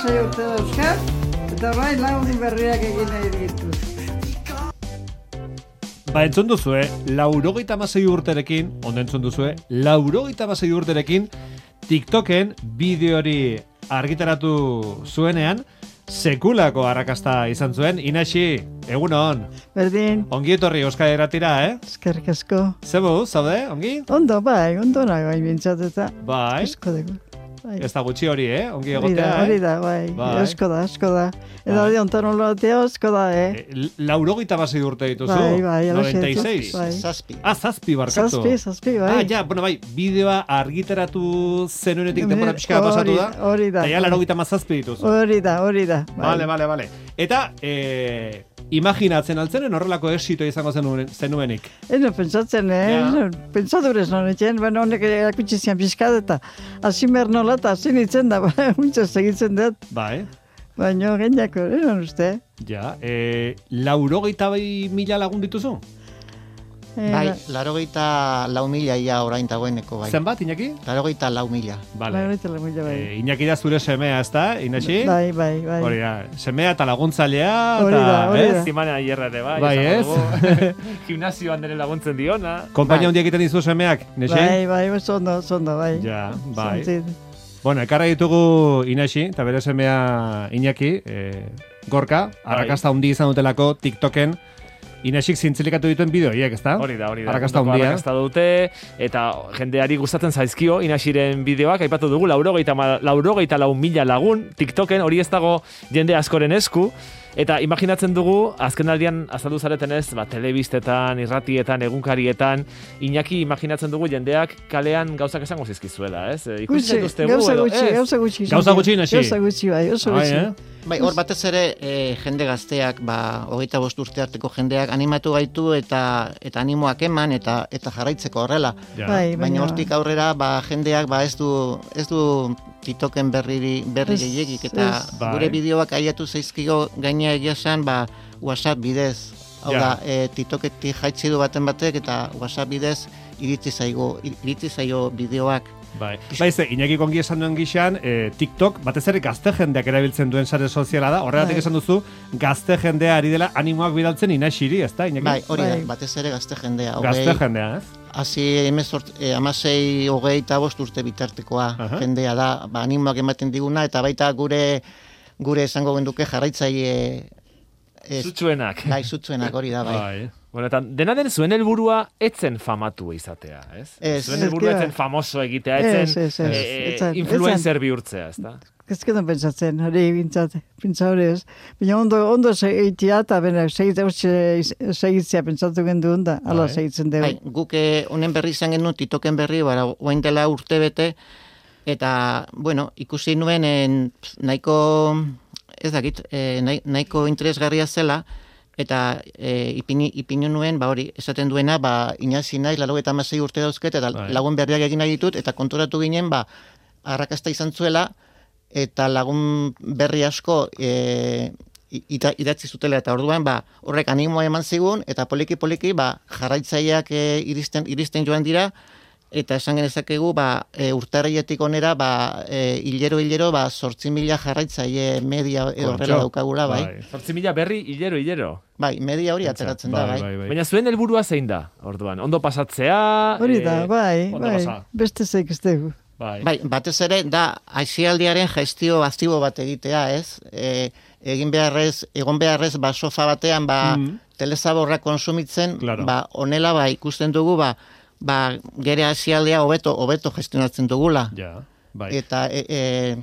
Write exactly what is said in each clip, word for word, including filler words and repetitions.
amasei urte dauzkat, eta bai lagun berriak egin nahi ditu. Ba, entzun duzue, laurogeita hamasei urterekin, ondo entzun duzue, laurogeita hamasei urterekin, TikToken bideori argitaratu zuenean, sekulako arrakasta izan zuen. Inaxi, egunon. Berdin. Ongi etorri Euskal Irratira, eh? Eskerrik asko. Zebu, zaude, ongi? Ondo, bai, ondo nago hain bintzat eta. Bai. Esko dugu. Bai. Ez da gutxi hori, eh? Ongi Hori egotea, da, eh? hori da, bai. Bai. Esko da, esko da. Eta Bai. de ontan olatea, esko da, eh? E, laurogeita hamasei urte dituzu? Bai, bai, noventa y seis. bai. Zazpi. Ah, zazpi barkatu. Zazpi, zazpi, bai. Ah, ja, bueno, bai, bideoa argitaratu zenuenetik denbora pixka bat pasatu da. Hori da. Eta ja, laurogeita hamazazpi dituzu. Hori da, hori da. Vale, vale, vale. Eta, eh, imaginatzen altzenen horrelako exito izango zenuen, zenuenik. Eno, pentsatzen, eh? Ja. Pentsadurez non etxen, baina honek erakutsi zian pixkat eta hasi behar nola eta hasi nintzen da, muntza segitzen dut. Bai. Baina geniako, eron uste. Ja, eh, laurogeita bai mila lagun dituzu? Eh, Bai, larogeita lau mila ia orain dagoeneko, bai. Zenbat, Iñaki? Larogeita lau mila. Vale. Larogeita lau mila, bai. Eh, Iñaki da zure semea, ez da, Inaxi? Bai, bai, bai. Hori da, semea eta laguntzailea, Hori eta, da, hori ez? da. Zimana hierra ere, bai. Bai, esango ez? dugu. Gimnasioan dere laguntzen diona. Konpainia Bai. handia egiten dizu semeak, Inaxi? Bai, bai, oso ondo, oso ondo, bai. Ja, bai. Zantzit. Bueno, ekarra ditugu Inaxi, eta bere semea Iñaki, eh, Gorka, arrakasta hundi izan dutelako TikToken, Inaxik zintzilikatu dituen bideoiek, ezta? Hori da, hori da. Arrakasta Ondoko handia. Arrakasta dute, eta jendeari gustatzen zaizkio Inaxiren bideoak, aipatu dugu, laurogeita, ma- laurogeita lau mila lagun, TikToken, hori ez dago jende askoren esku, eta imaginatzen dugu, azken aldian azaldu zaretenez, ba, telebistetan, irratietan, egunkarietan, Iñaki imaginatzen dugu jendeak kalean gauzak esango zizkizuela, ez? E, Ikusi Gutxi, zaituztegu gauza edo, gutxi, ez? gauza gutxi. Gauza gutxi, Inaxi? Gauza gutxi, bai, oso Bai, gutxi. eh? Bai, hor batez ere e, jende gazteak, ba, hogeita bost urte arteko jendeak animatu gaitu eta eta animoak eman eta eta jarraitzeko horrela. Ja. Bai, Baina hortik aurrera, ba, jendeak ba, ez du ez du TikToken berri berri Ez, gehiegik eta ez. Bai. gure bideoak aiatu zaizkigo gaina egia esan, ba, WhatsApp bidez. Hau Ja. da, e, TikToketik jaitsi du baten batek eta WhatsApp bidez iritzi zaigo iritzi zaio bideoak. Bai, bai ze, Iñaki kongi esan duen gixan, eh, TikTok, batez ere gazte jendeak erabiltzen duen sare soziala da, horregatik Bai. esan duzu, gazte jendea ari dela animoak bidaltzen Inaxiri, ez da, Iñaki? Bai, hori da, Bai. batez ere gazte jendea. Gazte hogei- jendea, ez? Hasi emezort, eh, amasei, hogei eta bost urte bitartekoa Aha. jendea da, ba, animoak ematen diguna, eta baita gure gure esango genduke jarraitzaile ez, Zutsuenak. gai zutzuenak hori da, bai. Bai. Bueno, eta dena den zuen helburua etzen famatu izatea, ez? Ez. Zuen helburua Ez, etzen famoso egitea, Ez, etzen ez, ez. eh, Etzen, influencer bihurtzea, ez da? Ezketan pentsatzen, hori bintzat, pintza hori ez. Baina ondo, ondo segitzea eta bena segitzea pentsatu gendu onda, ala Bai. segitzen dugu. Bai, guk eh, honen berri izan genuen, TikToken berri, bara, oain dela urte bete, eta, bueno, ikusi nuen en, pf, nahiko, ez dakit, eh, nahi- nahiko interesgarria zela, eta e, ipini, ipini nuen, ba hori, esaten duena, ba, inazi naiz, laurogeita hamasei urte dauzket, eta Bai. lagun berriak egin nahi ditut, eta konturatu ginen, ba, arrakasta izan zuela, eta lagun berri asko e, ita, idatzi zutela, eta orduan, ba, horrek animoa eman zigun, eta poliki-poliki, ba, jarraitzaileak e, iristen, iristen joan dira, eta esan genezakegu, ba, e, urtarrietik onera, ba, e, hilero-hilero, ba, sortzi mila jarraitzaile media edo horrela Kontxo. daukagula, bai. Bai. Zortzi mila berri, hilero, hilero. Bai, media hori ateratzen da, bai. Baina zuen helburua zein da, orduan? Ondo pasatzea? Hori da, eh, bai, ondo bai, pasa. beste zeik ez dugu. Bai. Bai, batez ere, da, aisialdiaren gestio aktibo bat egitea, ez? E, egin beharrez, egon beharrez, ba, sofa batean, ba, Mm. telezaborra konsumitzen, Claro. ba, honela, ba, ikusten dugu, ba, ba, gere aisialdea hobeto, hobeto gestionatzen dugula. Ja, bai. Eta e, e,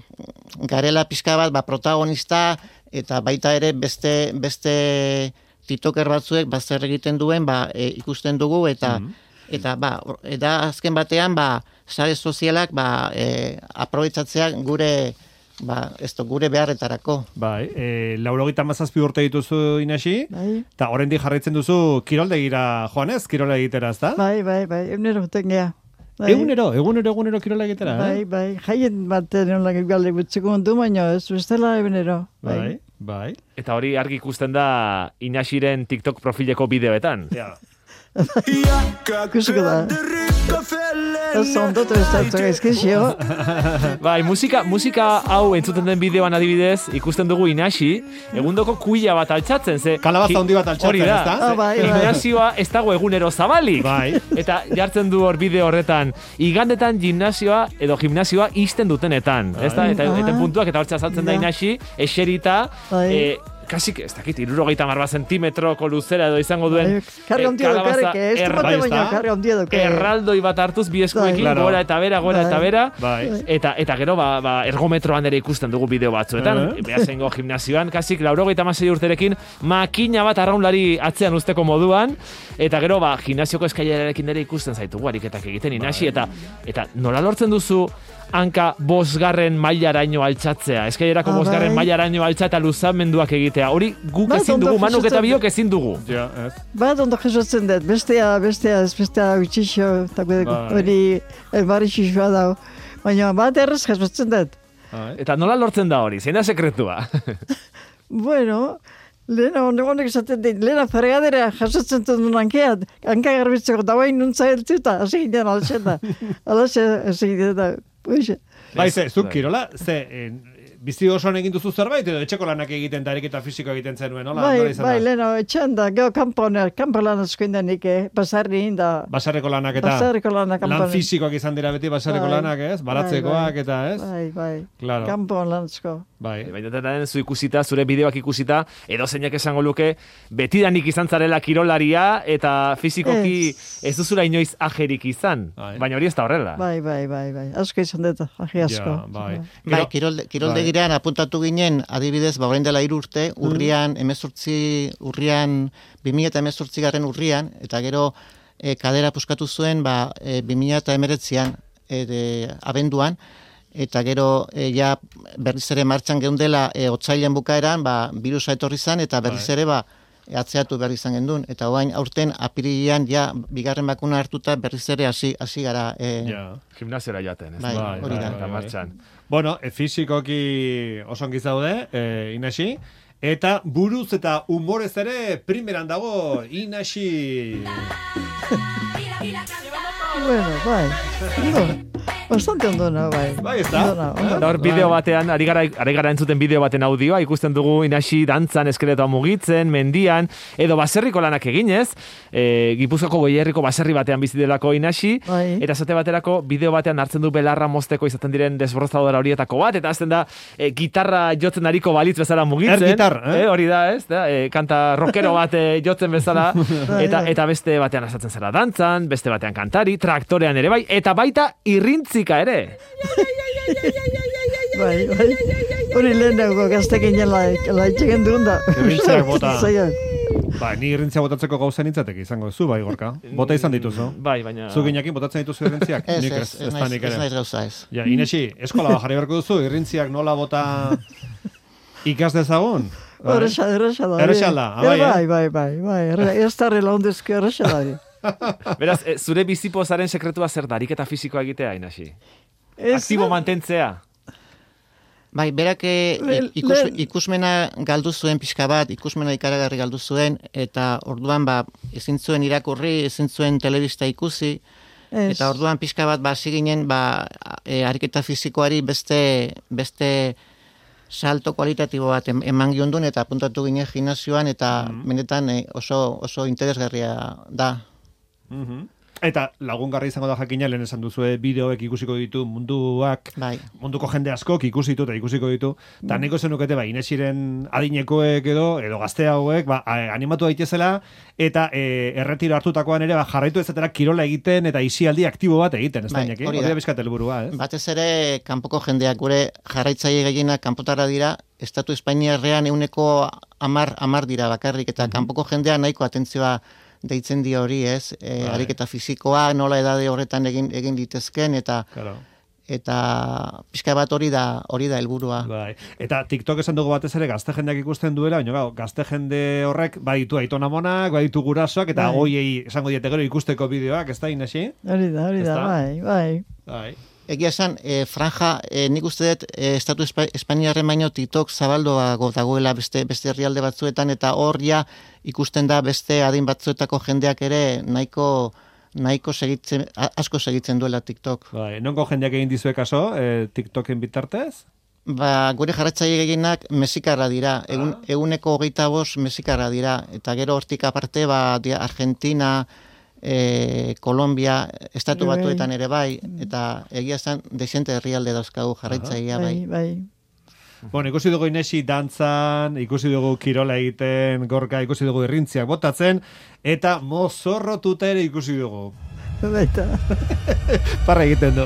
garela pixka bat, ba, protagonista, eta baita ere beste, beste TikToker batzuek, ba, zer egiten duen, ba, e, ikusten dugu, eta, Mhm. eta, ba, eta azken batean, ba, sare sozialak, ba, e, aprobetxatzea gure, ba, esto, gure beharretarako. Bai, e, laurogeita hamazazpi urte dituzu Inaxi, Bai, eta oraindik jarraitzen duzu kiroldegira joanez, kirola egitera, ezta? bai, bai, bai, egunero joten geha. Bai, Egunero, egunero, egunero kirola egitera, bai, eh? bai, jaien baten olak galde gutzeko ondu, baina ez bestela egunero. Bai, bai. Eta hori argi ikusten da Inaxiren TikTok profileko bideoetan. Ja. Ikusiko da. Ez ondotu ez dut gaizkizio. Bai, musika, musika hau entzuten den bideoan adibidez, ikusten dugu Inaxi, egundoko kuila bat altxatzen, ze... Kalabaza handi bat altxatzen, hori da. ezta? Ah, bai, bai. Gimnasioa ez dago egunero zabalik. Bai. Eta jartzen du hor bideo horretan, igandetan gimnasioa edo gimnasioa isten dutenetan, ezta? Eta, Ah. eta puntuak eta hortza saltzen da Ja. Inaxi, eserita, Bai. eh, kasik, ez dakit, irurogeita marba zentimetroko luzera edo izango duen Karri eh, ondia du, kalabaza karri, ez du erra- bate bai, baina ezta? karri ondia du. erraldoi bat hartuz bi eskuekin, Bai. gora eta bera, gora Bai. eta bera, Bai. eta eta gero ba, ba ergometroan ere ikusten dugu bideo batzuetan, Eh? behasengo gimnasioan, kasik laurogeita hamasei urterekin makina bat arraunlari atzean usteko moduan, eta gero ba gimnasioko eskailerarekin ere ikusten zaitugu ariketak egiten Inaxi, eta eta nola lortzen duzu hanka bosgarren mailaraino altxatzea, eskailerako Ah, bosgarren bai. mailaraino altxa eta luzamenduak egitea, hori guk Bat ezin ondo dugu, manuk eta jasotzen- biok ezin dugu. Ja, ez. Bat ondo jasotzen dut, bestea, bestea, ez bestea utxixo, eta Bai. hori elbarixixoa dago. Baina bat errez jasotzen dut. Bai. Eta nola lortzen da hori, zein da sekretua? Bueno, lehena honek esaten dit, lehena fregadera jasotzen dut hankeat, hanka garbitzeko dagoen nuntza heltuta, hasi ginen alxeta. Alaxe, hasi ginen da, puixe. Bai, ze, zuk kirola, ze, en, bizi osoan egin duzu zerbait, edo etxeko lanak egiten, da ariketa fisiko egiten zenuen, nola? Bai, nola izan bai, da? lehena, etxean da, geho kanpo, kanpo lan asko indanik, eh, basarri inda, Basarreko lanak eta basarriko lanak kanpo. lan fisikoak izan dira beti basarreko Bai. lanak, ez? Bai, Baratzekoak bai. eta, ez? Bai, bai, Claro. kanpo lan asko. Bai. Baina eta den zu ikusita, zure bideoak ikusita, edo zeinak esango luke, betidanik izan zarela kirolaria, eta fizikoki ez duzula inoiz ajerik izan. Bai. Baina hori ez da horrela. Bai, bai, bai, bai, asko izan dut, ahi asko. Ja, bai. Bai, Gero- kirolde, kiroldegirean apuntatu ginen, adibidez, ba, orain dela hiru urte, urrian, emezortzi, urrian, bi mila eta emezortzi garren urrian, eta gero e, kadera puskatu zuen, ba, e, bi mila eta emeretzian, e, de, abenduan, eta gero e, ja berriz ere martxan geundela e, otsailean bukaeran, ba, virusa etorri zan, eta berriz Bai. ere, ba, e, atzeatu behar izan gendun. Eta orain aurten apirilean ja bigarren bakuna hartuta berriz ere hasi hasi gara. E, Ja. Gimnasiora jaten, ez Bai, da? hori da. Eta martxan. Bueno, e, fisikoki oso ongi zaude, e, Inaxi, eta buruz eta humorez ere primeran dago Inaxi. Bueno, bai, ondo, bastante ondo na, bai. Bai, ez da? Ondo na, ondo. Eta hor bideo batean, ari gara, ari gara entzuten bideo baten audioa, ikusten dugu Inaxi dantzan, eskeletoa mugitzen, mendian, edo baserriko lanak eginez, e, Gipuzkoako Goierriko baserri batean bizi delako Inaxi, Bai. eta esate baterako bideo batean hartzen du belarra mozteko izaten diren desbrozadora horietako bat, eta azten da e, gitarra jotzen ariko balitz bezala mugitzen. Air gitar, eh? Hori da, ez? Da, e, kanta rockero bat e, jotzen bezala, eta, bai. eta beste batean asatzen zara dantzan, beste batean kantari, traktorean ere bai, eta baita irrintzika ere. Bai, bai. Hori lehenago gaztekin jela, la itxegen duen da. Irrintziak bota. Zaiak. Ba, ni irrintzia botatzeko gauza nintzateke izango zu, bai, Gorka. Bota izan dituzu. Bai, baina... Zu ginekin botatzen dituzu irrintziak? Ez, Nik ez, ez, da naiz, nik ez ere. naiz gauza ez. Ja, Inesi, eskola bat jarri beharko duzu, irrintziak nola bota ikas dezagun? Bai. Horrexa, horrexa da. Errexa da, ah, bai, eh? Bai, bai, bai, bai. erre- Ez da relaundezko horrexa da. Beraz, e, zure bizipozaren sekretua zer da, ariketa fisikoa egitea, Inaxi? Ez Aktibo da- mantentzea. Bai, berak eh, Le- ikus, le- ikusmena galdu zuen pixka bat, ikusmena ikaragarri galdu zuen, eta orduan ba, ezin zuen irakurri, ezin zuen telebista ikusi, Ez. eta orduan pixka bat ba, hasi ginen ba, e, ariketa fisikoari beste, beste salto kualitatibo bat em- eman giondun, eta apuntatu ginen gimnasioan, eta benetan eh, oso, oso interesgarria da. Mhm. Eta lagungarri izango da jakina, lehen esan duzue bideoek ikusiko ditu munduak, Bai. munduko jende askok ikusi ditu eta ikusiko ditu. Eta niko zenukete, ba, Inesiren adinekoek edo, edo gazte hauek, ba, a- animatu daitezela, eta e, erretiro hartutakoan ere, ba, jarraitu ezatera kirola egiten, eta isialdi aktibo bat egiten, ez da, Bai, Iñaki? hori Hori da. da bizkat helburua, ez? Batez ere, kanpoko jendeak gure jarraitzaile gehienak kanpotara dira, Estatu Espainiarrean euneko amar, amar dira bakarrik, eta kanpoko jendea nahiko atentzioa deitzen dio hori, ez? E, Bai. ariketa fisikoa, nola edade horretan egin egin litezken, eta Claro. eta pixka bat hori da hori da helburua. Bai. Eta TikTok esan dugu batez ere gazte jendeak ikusten duela, baina gau, gazte jende horrek baditu aitonamonak, baditu gurasoak, eta Bai. hoiei esango diete gero ikusteko bideoak, ez da, Inesi? Hori da, hori da, Ezta? bai, bai. Bai. Egia esan, e, franja, e, nik uste dut e, Estatu Espa, Espainiarren baino TikTok zabaldoago dagoela beste beste herrialde batzuetan, eta hor ja ikusten da beste adin batzuetako jendeak ere nahiko nahiko segitzen, asko segitzen duela TikTok. Bai, nongo jendeak egin dizue kaso, eh, TikToken bitartez? Ba, gure jarratzaile gehienak mexikarra dira, egun, eguneko hogeita bost mexikarra dira, eta gero hortik aparte, ba, dia, Argentina, e, Kolombia, estatu Bai. batuetan ere bai, eta egia zen, dezente herrialde dauzkagu jarraitzailea bai. Bai, bai. Bueno, ikusi dugu Inesi dantzan, ikusi dugu kirola egiten, gorka, ikusi dugu irrintziak botatzen, eta mozorrotuta ere ikusi dugu. Baita. Parra egiten du.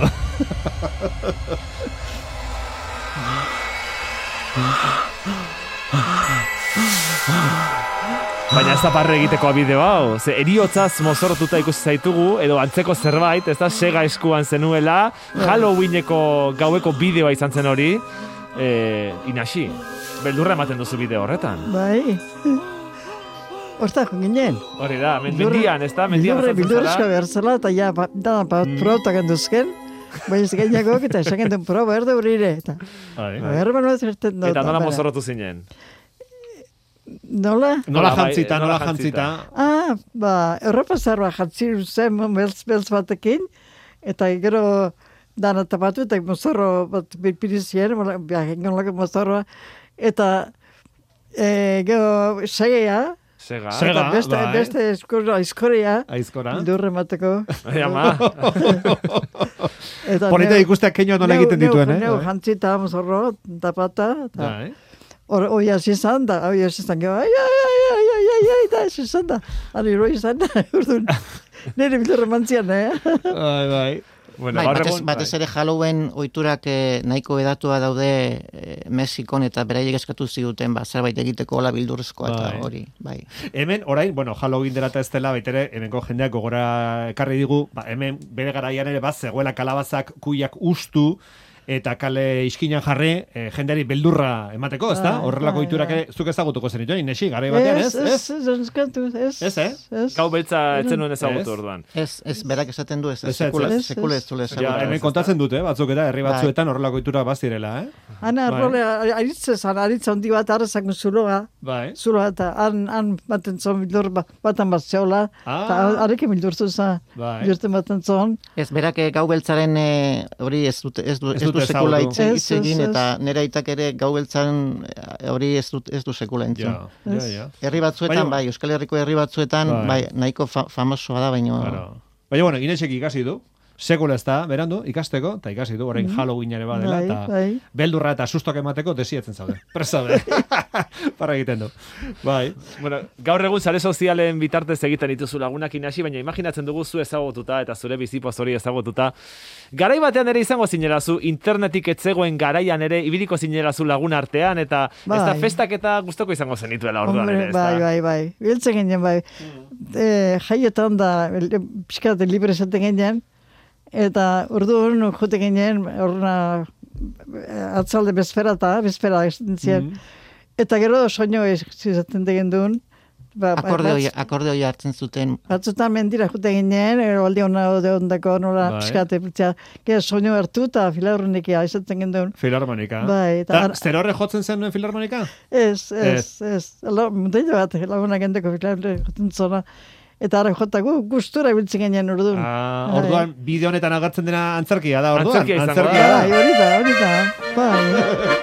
Baina ez da parre egiteko bideo hau. Ze eriotzaz mozorrotuta ikusi zaitugu, edo antzeko zerbait, ez da Sega eskuan zenuela, Halloweeneko gaueko bideoa izan zen hori. E, Inasi, beldurra ematen duzu bideo horretan. Bai. Hortako ginen. Hori da, men, mendian, ez da? Mendian Bildurre, azaltzen bildurrezko zara. behar zela, eta ja, ba, da, ba, protak handuzken. Baina ez gainakok, eta esan gendun pro, behar da urire. Eta, Bai. behar bat zerten dut. Eta nola bera. mozorrotu zinen? Nola? Nola Nola bai, jantzita, nola nola jantzita. Ah, ba, Europa zarba jatzi zen beltz, beltz batekin, eta gero dana tapatu, eta mozorro bat birpirizien, genolako mozorroa, eta e, gero segea, Sega. Sega. eta beste, bai. beste eskurra, aizkorea, Aizkora. bildurre mateko. Jama. Eta Polita neu- ikusteak keinoa nola neu- egiten neu- dituen, eh? Neu jantzita mozorro, tapata, eta Bai. hor, oi hasi izan da, oi hasi izan, gero, ai, ai, ai, ai, ai, ai, ai, da, hasi izan da, ari roi izan da, urdun, nire bildurre mantzian, eh? Bai, bai. Bueno, Bai, gaur batez, egun, batez bai. ere Halloween ohiturak eh, nahiko edatua daude eh, Mexikon eta beraiek eskatu ziguten ba, zerbait egiteko hola bildurrezkoa eta Bai. hori, bai. Hemen, orain, bueno, Halloween dela eta ez dela, baitere, hemenko jendeak gogora ekarri digu, ba, hemen bere garaian ere bat zegoela kalabazak kuiak ustu, eta kale iskinan jarri, eh, jendeari beldurra emateko, ez da? Bai, Horrelako bai, iturak bai. ere zuk ezagutuko zenituen, Inesi, garai batean, ez? Ez, ez, ez, eskatu, ez. Ez, eh? Ez. Gau beltza etzen nuen Ez. ezagutu orduan. Ez, ez, berak esaten du ez, Ez, ez, sekula, ez. sekula ez zule Ja, ezagutu. hemen kontatzen dute, batzuk eta herri Bai. batzuetan horrelako iturak bazirela, eh? Ana, Bai. role, aritze zan, aritza handi bat arrezako zuloa, Bai. zuloa eta han, han baten zon bildur ba- batan bat zeola, Ah. eta arekin bildurtu za, Bai. bilurten baten zon. Ez, berak eh, gau beltzaren eh, hori ez dut, ez du, Ez ez du dute sekula ezagutu. hitz Ez, hitz egin, ez, ez. eta nire aitak ere gau beltzaren eh, hori ez du, ez du sekula entzun. Ja, ja, Ez. ja. Herri batzuetan, Baina- bai, Euskal Herriko herri batzuetan, Bai. bai, nahiko fa famosoa da, baino... Claro. Baina, bueno, Inesek ikasi du, sekula ez da, berandu, ikasteko, eta ikasi du, orain Halloween ere badela, Bai, eta bai. beldurra eta sustok emateko desietzen zaude. Presaude. Parra egiten du. Bai. Bueno, gaur egun sare sozialen bitartez egiten dituzu lagunak Inasi, baina imaginatzen dugu zu ezagututa eta zure bizipoz hori ezagututa. Garai batean ere izango zinelazu, internetik etzegoen garaian ere ibiliko zinelazu lagun artean, eta ez da Bai. festak eta guztoko izango zenituela orduan ere, ez da? bai, bai, bai. Biltzen ginen, bai. E, jaietan da, pixkat libre zaten ginen, eta orduan jute ginen, orduan atzalde bezpera eta, bezpera esaten ziren. Eta gero soño izaten degen duen. Ba, ba, Akordeoia, batz- akordeoia hartzen zuten, Batzutan mendira jute ginen, ero aldi hona ode ondako nola Bai. pixkate, piltzea, gero soño hartu eta filarronikia izaten genduen. Filarmonika. Bai, eta eta ar- zer horre jotzen zen nuen filarmonika? Ez, ez, ez. Ala, mundailo bat, laguna gendeko filarre joten zona. Eta ara jota gu, gustura biltzen ginen orduan. Ah, Bai. orduan, bideo honetan agertzen dena antzerkia da, orduan. Antzerkia izango da. Antzerkia Bai, hori da, hori da. Bai.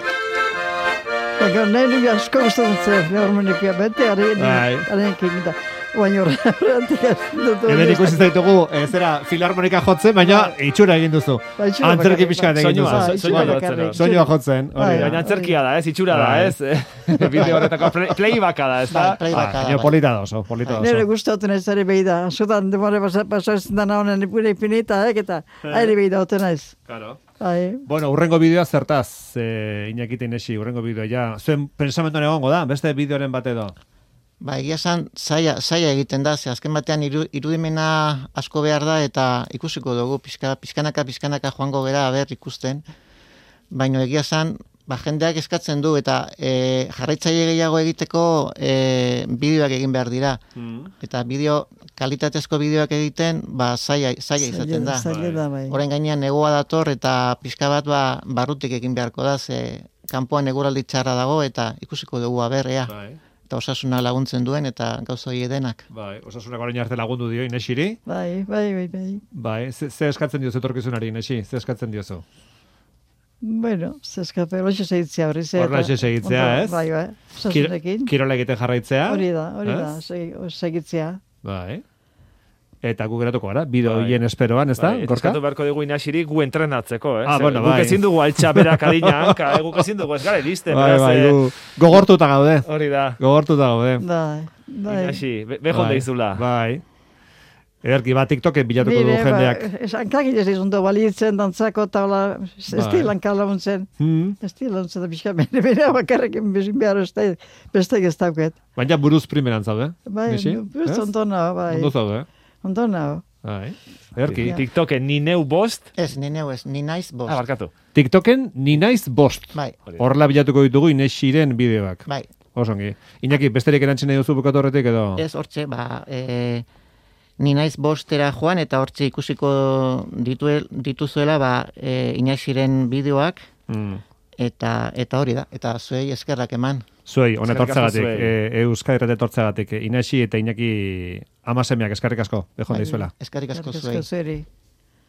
Ego, nahi nuke asko gustatzen zen, filarmonikia, bete, Bai. arekin da. Baina horretik azten dut. hori Hemen ez ikusi dakit. zaitugu, ez zera filarmonika jotzen, baina itxura egin duzu. Bai, itxura Antzerki bakarrik, pixka bai. egin Soinua, duzu. so- soinua Bai, jotzen, bakarrik. no? Soinua jotzen, hori Bai, da. Baina antzerkia da, ez? Itxura da, Bai. ez? Bideo horretako play, playbacka da, ez da? Bai, playbacka da, Baina bai. polita da oso, polita da Nere oso. gustatzen ez ere behi da. Zutan demore pasatzen dana honen ipure ipinita, eh, eta aire behi da oten naiz. Claro. Bai. Bueno, urrengo bideoa zertaz, eh, Iñaki eta Inesi, urrengo bideoa, ja. Zuen pensamentuan egongo da, beste bideoren bat edo. Ba, egia esan, zaila, zaila egiten da, ze azken batean iru, irudimena asko behar da, eta ikusiko dugu, pizka, pizkanaka, pizkanaka joango gera, aber ikusten. Baina egia esan, ba, jendeak eskatzen du, eta e, jarraitzaile gehiago egiteko e, bideoak egin behar dira. Eta bideo, kalitatezko bideoak egiten, ba, zaila, zaila izaten da. Zaila da, bai. Orain gainean negoa dator, eta pizka bat, ba, barrutik egin beharko da, ze kanpoan eguraldi txarra dago, eta ikusiko dugu, aber, ea. Bai. eta osasuna laguntzen duen, eta gauza hori denak. Bai, osasunak orain arte lagundu dio Inesiri. Bai, bai, bai, bai. Bai, ze, ze eskatzen diozu etorkizunari, Inesi? Ze eskatzen diozu? Bueno, zeskape, horixe segitzea horri ze. Horrelaxe segitzea, ondo, ez? Bai, bai, osasunekin. Kirola egiten jarraitzea. Hori da, hori da, ez? segi- segitzea. Bai. Eta gu geratuko gara, bideo Bai. hien esperoan, ez da, Bai, eta Gorka? eskatu beharko dugu Inasiri gu entrenatzeko, eh? Ah, Ze bueno, guk bai. ezin dugu altxa berak adina hanka, eh? Guk ezin dugu ez gara iristen, Bai, beraz, bai, eh, gu gogortuta gaude. hori da. Gogortuta gaude. Bai, bai. Inasi, be- bejon deizula. Bai. Ederki, bat TikToken bilatuko du Mire, jendeak. ba, hankagin ez izundu balitzen, dantzako, eta hola, ez Bai. dilan kalauntzen. Hmm. Ez dilan launtzen da pixka, bere bere bakarrekin bezin behar ez da, beste ez dauket. Baina buruz primeran zaude. Bai, Inesi? ez Ez? ondo nago, bai. Ondo zaude. Ondo nago. Bai. Ederki. Ja. TikToken ni neu bost, Ez, ni neu ez, ni naiz bost. ah, barkatu. TikToken ni naiz bost. Bai, Horrela bilatuko ditugu Inesiren bideoak. bai. Osongi. Iñaki, besterik erantzen nahi duzu bukatu horretik edo? Ez hortxe, ba, e, ni naiz bostera joan, eta hortxe ikusiko dituel, dituzuela, ba, e, Inaxiren bideoak, Mm. eta eta hori da, eta zuei eskerrak eman. Zuei, honet Eskerrik asko hortzagatik, zuei. e, Euskadi Irrati hortzagatik, Inesi eta Inaki amasemeak eskarrik asko, bejon daizuela. Eskerrik asko Eskerrik zuei. asko zueri.